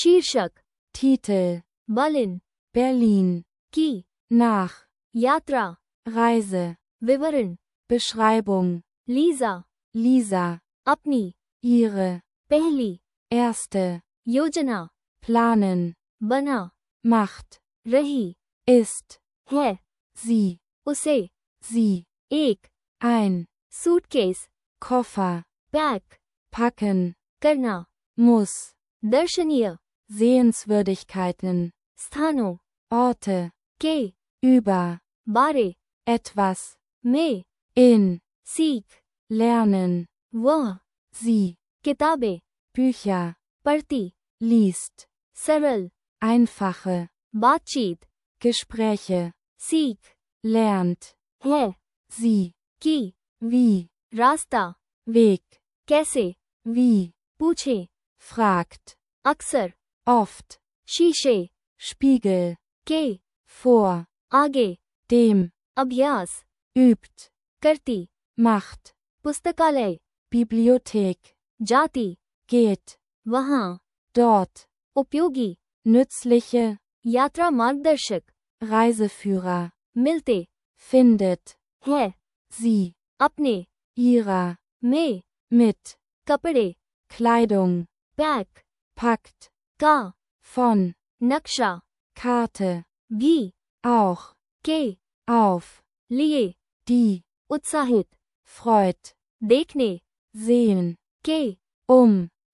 शीर्षक, Titel, Berlin, Berlin, की, nach, यात्रा, Reise, विवरण, Beschreibung, लीजा, Lisa, अपनी, ihre, पहली, erste, योजना, planen, बना, macht, रही, ist, है, sie, उसे, sie, एक, ein, suitcase, Koffer, pack, packen, करना, muss, दर्शनीय, Sehenswürdigkeiten, स्थानों, Orte, के, über, बारे, etwas, में, in, सीख, lernen, वह, sie, किताबें, Bücher, पढ़ती, liest, सरल, einfache, बातचीत, Gespräche, सीख, lernt, है, sie, की, wie, रास्ता, Weg, कैसे, wie, पूछे, fragt, अक्सर, oft, शीशे, Spiegel, के, vor, आगे, dem, अभ्यास, übt, करती, macht, पुस्तकालय, Bibliothek, जाती, geht, वहाँ, dort, उपयोगी, nützliche, यात्रा मार्गदर्शक, Reiseführer, मिलते, findet, है, sie, अपने, ihrer, में, mit, कपड़े, Kleidung, पैक, packt, का, von, नक्शा, Karte, भी, auch, के, auf, लिए, die, उत्साहित, freut, देखने, sehen, के,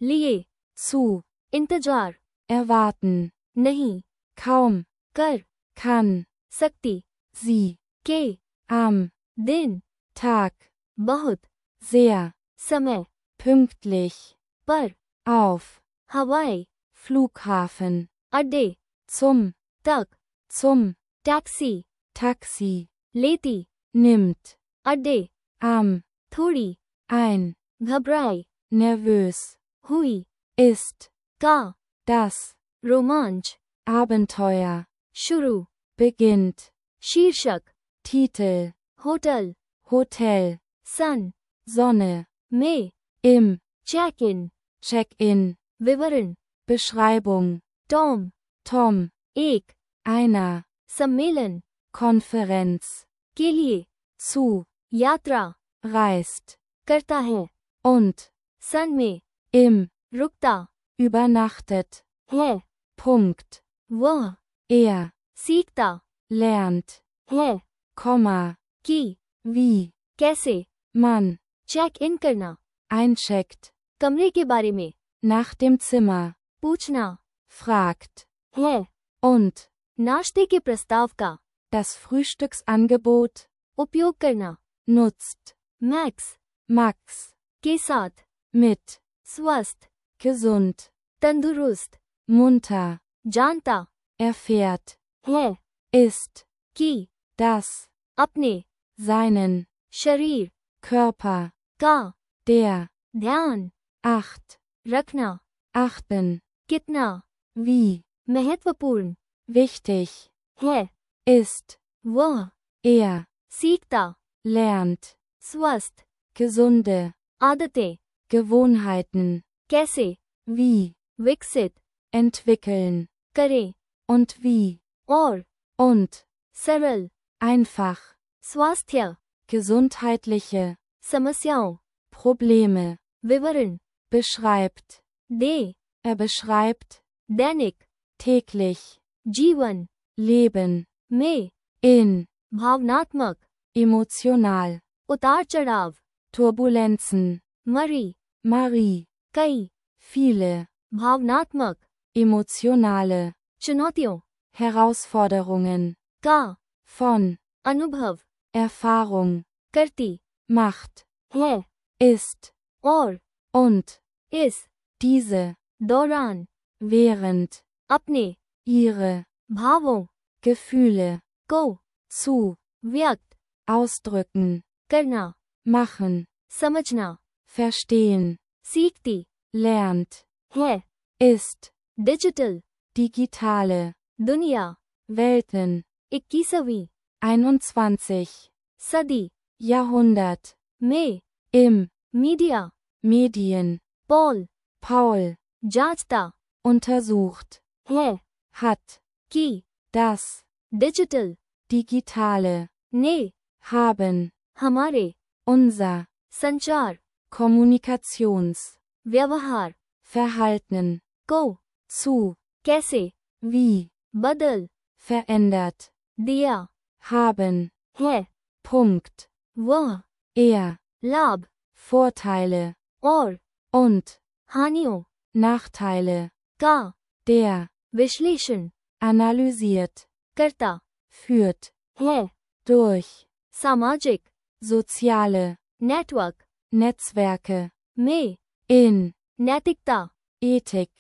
लिए, zu, इंतजार, erwarten, नहीं, kaum, कर, kann, सकती, sie, के, am, दिन, Tag, बहुत, sehr, समय, pünktlich, पर, auf, हवाई, Flughafen, अड्डे, zum, तक, zum, टैक्सी, Taxi, लेती, nimmt, अड्डे, am, थोड़ी, ein, घबराई, nervös, हुई, ist, का, das, रोमांच, Abenteuer, शुरू, beginnt, शीर्षक, Titel, होटल, Hotel, सन, Sonne, में, im, चेक इन, Check-in, विवरण, Beschreibung, टॉम, Tom, एक, einer, सम्मेलन, Konferenz, के लिए, zu, यात्रा, reist, करता है, und, सन में, im, रुकता, übernachtet, है, Punkt, वह, er, सीखता, lernt, है, Komma, की, wie, कैसे, man, चेक इन करना, eincheckt, कमरे के बारे में, nach dem Zimmer, पूछना, fragt, है, und, नाश्ते के प्रस्ताव का, das Frühstücksangebot, उपयोग करना, nutzt, मैक्स, Max, के साथ, mit, स्वस्थ, gesund, तंदुरुस्त, munter, जानता, erfährt, है, ist, की, das, अपने, seinen, शरीर, Körper, का, der, ध्यान, acht, रखना, achten, कितना, wie, महत्वपूर्ण, wichtig, है, ist, वह, er, सीखता, lernt, स्वस्थ, gesunde, आदतें, Gewohnheiten, कैसे, wie, विकसित, entwickeln, करें, und wie, और, und, सरल, einfach, स्वास्थ्य, gesundheitliche, समस्याओं, Probleme, विवरण, beschreibt, दे, beschreibt, दैनिक, täglich, जीवन, Leben, में, in, भावनात्मक, emotional, उतार चढ़ाव, Turbulenzen, मरी, Marie, कई, viele, भावनात्मक, emotionale, चुनौतियों, Herausforderungen, का, von, अनुभव, Erfahrung, करती, macht, है, ist, और, und, इस, diese, दौरान, während, अपने, ihre, भावों, Gefühle, को, zu, व्यक्त, ausdrücken, करना, machen, समझना, verstehen, सीखती, lernt, है, ist, डिजिटल, digitale, दुनिया, Welten, 21वीं, 21, सदी, Jahrhundert, में, im, media, Medien, Paul, Paul, जांचता, untersucht, है, hat, की, das, डिजिटल, digitale, ने, haben, हमारे, unser, संचार, Kommunikations, व्यवहार, Verhalten, को, zu, कैसे, wie, बदल, verändert, दिया, haben, है, Punkt, वह, er, लाभ, Vorteile, और, und, हानियों, Nachteile, का, der, विश्लेषण, analysiert, करता, führt, है, durch, सामाजिक, soziale, नेटवर्क, Netzwerke, में, in, नैतिकता, Ethik,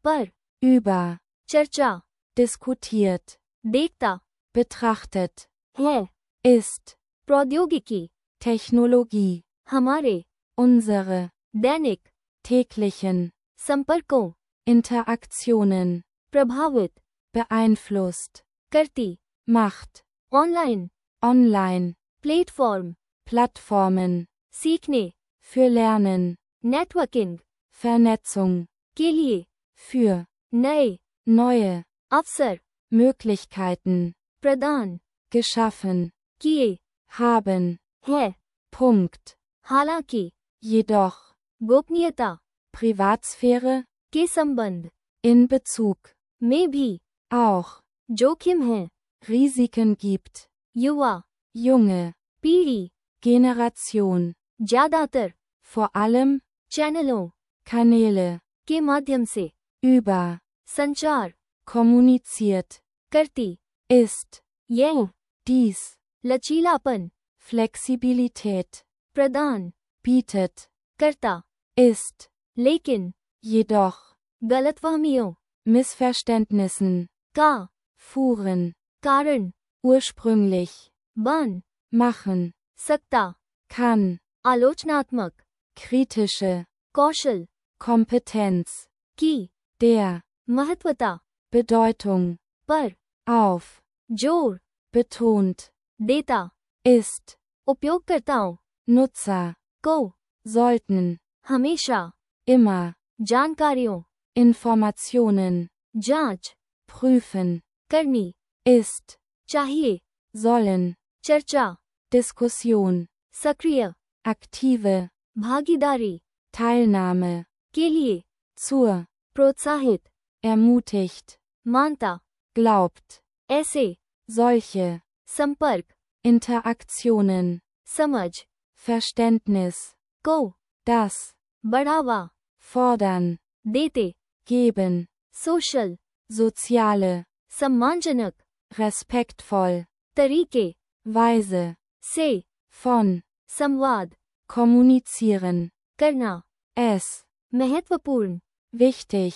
पर, über, चर्चा, diskutiert, देखता, betrachtet, है, ist, प्रौद्योगिकी, Technologie, हमारे, unsere, दैनिक, täglichen, संपर्कों, Interaktionen, प्रभावित, beeinflusst, करती, macht, online, online, platform, Plattformen, सीखने, für Lernen, नेटवर्किंग, Vernetzung, के लिए, für, नए, neue, अवसर, Möglichkeiten, प्रदान, geschaffen, किए, haben, है, Punkt, हालांकि, jedoch, गोपनीयता, Privatsphäre, के संबंध, in Bezug, में भी, auch, जोखिम है, Risiken gibt, युवा, junge, पीढ़ी, Generation, ज्यादातर, vor allem, चैनलों, Kanäle, के माध्यम से, über, संचार, kommuniziert, करती, ist, यह, dies, लचीलापन, Flexibilität, प्रदान, bietet, करता, ist, लेकिन, jedoch, गलतफहमियों, Missverständnissen, का, fuhren, कारण, ursprünglich, बन, machen, सकता, kann, आलोचनात्मक, kritische, कौशल, Kompetenz, की, der, महत्वता, Bedeutung, पर, auf, जोर, betont, देता, ist, उपयोगकर्ताओं, Nutzer, को, sollten, हमेशा, immer, जानकारियों, Informationen, जांच, prüfen, करनी, ist, चाहिए, sollen, चर्चा, Diskussion, सक्रिय, aktive, भागीदारी, Teilnahme, के लिए, zur, प्रोत्साहित, ermutigt, मानता, glaubt, ऐसे, solche, संपर्क, Interaktionen, समझ, Verständnis, को, das, बढ़ावा, fordern, देते, geben, सोशल, soziale, सम्मानजनक, respektvoll, तरीके, Weise, से, von, संवाद, kommunizieren, करना, es, महत्वपूर्ण, wichtig,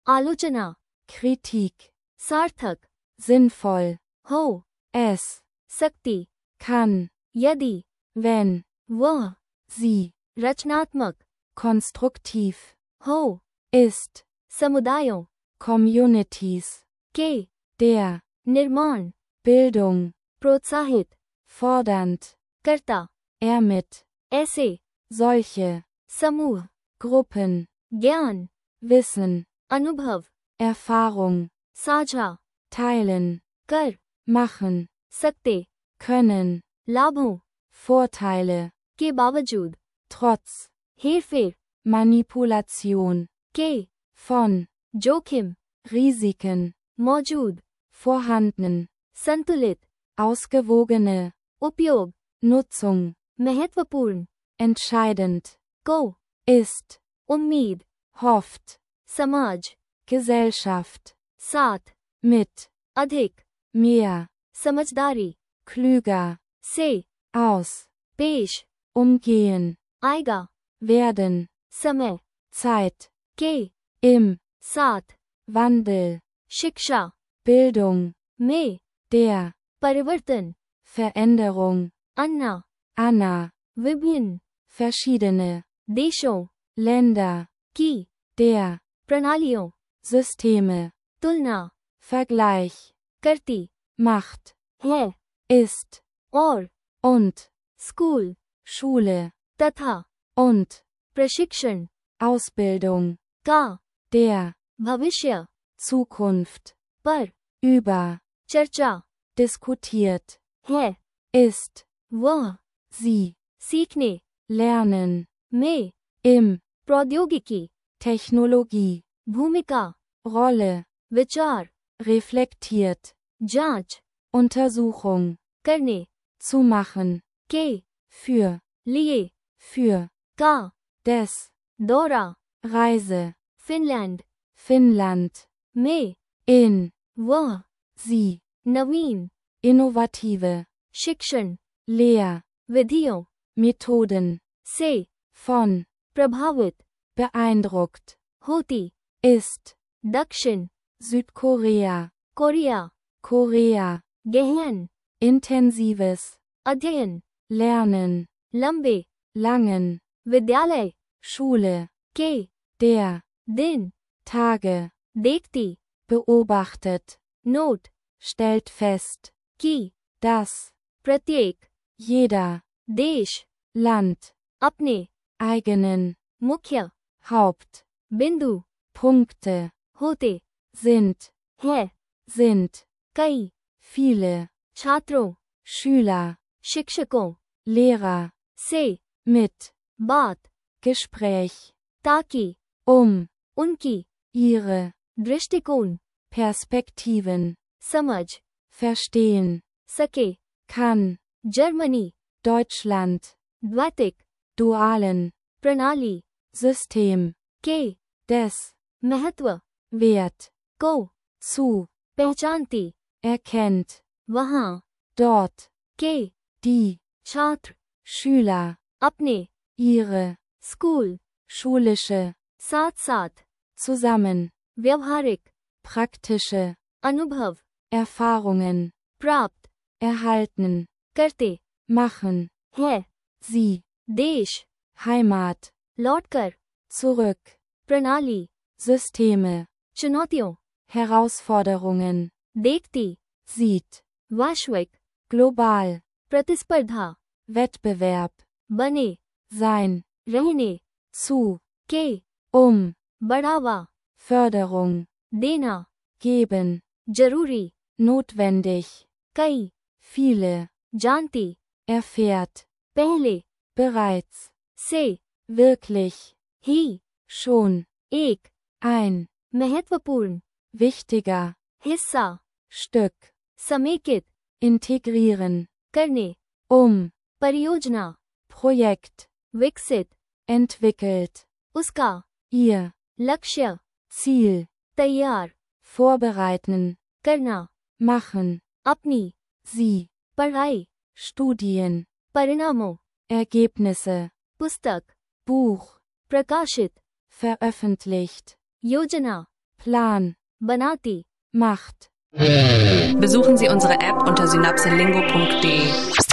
आलोचना, Kritik, सार्थक, sinnvoll, हो, es, सकती, kann, यदि, wenn, वह, sie, रचनात्मक, konstruktiv, हो, ist, समुदायों, Communities, के, der, निर्माण, Bildung, प्रोत्साहित, fordernd, करता, mit, ऐसे, solche, समूह, Gruppen, ज्ञान, Wissen, अनुभव, Erfahrung, साझा, teilen, कर, machen, सकते, können, लाभों, Vorteile, के बावजूद, trotz, हेरफेर, Manipulation, के, von, जोखिम, Risiken, मौजूद, vorhanden, संतुलित, ausgewogene, उपयोग, Nutzung, महत्वपूर्ण, entscheidend, को, ist, उम्मीद, hofft, समाज, Gesellschaft, साथ, mit, अधिक, mehr, समझदारी, klüger, से, aus, पेश, umgehen, आएगा, werden, समय, Zeit, के, im, साथ, Wandel, शिक्षा, Bildung, में, der, परिवर्तन, Veränderung, अन्ना, Anna, विभिन्न, verschiedene, देशों, Länder, की, der, प्रणालियों, Systeme, तुलना, Vergleich, करती, macht, है, ist, और, und, स्कूल, Schule, तथा, und, प्रशिक्षण, Ausbildung, का, der, भविष्य, Zukunft, पर, über, चर्चा, diskutiert, है, ist, वह, sie, सीखने, lernen, में, im, प्रौद्योगिकी, Technologie, भूमिका, Rolle, विचार, reflektiert, जांच, Untersuchung, करने, zu machen, के, für, लिए, für, का, des, दौरा, Reise, फिनलैंड, Finnland, में, in, वह, sie, नवीन, innovative, शिक्षण, Lehr, विधियों, Methoden, से, von, प्रभावित, beeindruckt, होती, ist, दक्षिण, Südkorea, कोरिया, Korea, गहन, intensives, अध्ययन, lernen, लंबे, langen, विद्यालय, Schule, के, der, दिन, Tage, देखती, beobachtet, नोट, stellt fest, की, dass, प्रत्येक, jeder, देश, Land, अपने, eigenen, मुख्य, Haupt, बिंदु, Punkte, होते, sind, है, sind, कई, viele, छात्रों, Schüler, शिक्षकों, Lehrer, से, mit, बात, Gespräch, ताकि, उनकी, ihre, दृष्टिकोण, Perspektiven, समझ, verstehen, सके, kann, जर्मनी, Deutschland, द्वैतिक, dualen, प्रणाली, System, के, des, महत्व, Wert, को, zu, पहचानती, erkennt, वहाँ, dort, के, die, छात्र, Schüler, अपने, ihre, स्कूल, schulische, साथ साथ, zusammen, व्यवहारिक, praktische, अनुभव, Erfahrungen, प्राप्त, erhalten, करते, machen, है, sie, देश, Heimat, लौटकर, zurück, प्रणाली, Systeme, चुनौतियों, Herausforderungen, देखती, sieht, वैश्विक, global, प्रतिस्पर्धा, Wettbewerb, बने, sein, रहने, zu, के, बढ़ावा, Förderung, देना, geben, जरूरी, notwendig, कई, viele, जानती, erfährt, पहले, bereits, से, wirklich, ही, schon, एक, ein, महत्वपूर्ण, wichtiger, हिस्सा, Stück, समेकित, integrieren, करने, परियोजना, Projekt, विकसित, entwickelt, उसका, ihr, लक्ष्य, Ziel, तैयार, vorbereiten, करना, machen, अपनी, sie, पढ़ाई, Studien, परिणामों, Ergebnisse, पुस्तक, Buch, प्रकाशित, veröffentlicht, योजना, Plan, बनाती, macht. Besuchen Sie unsere App unter synapselingo.de.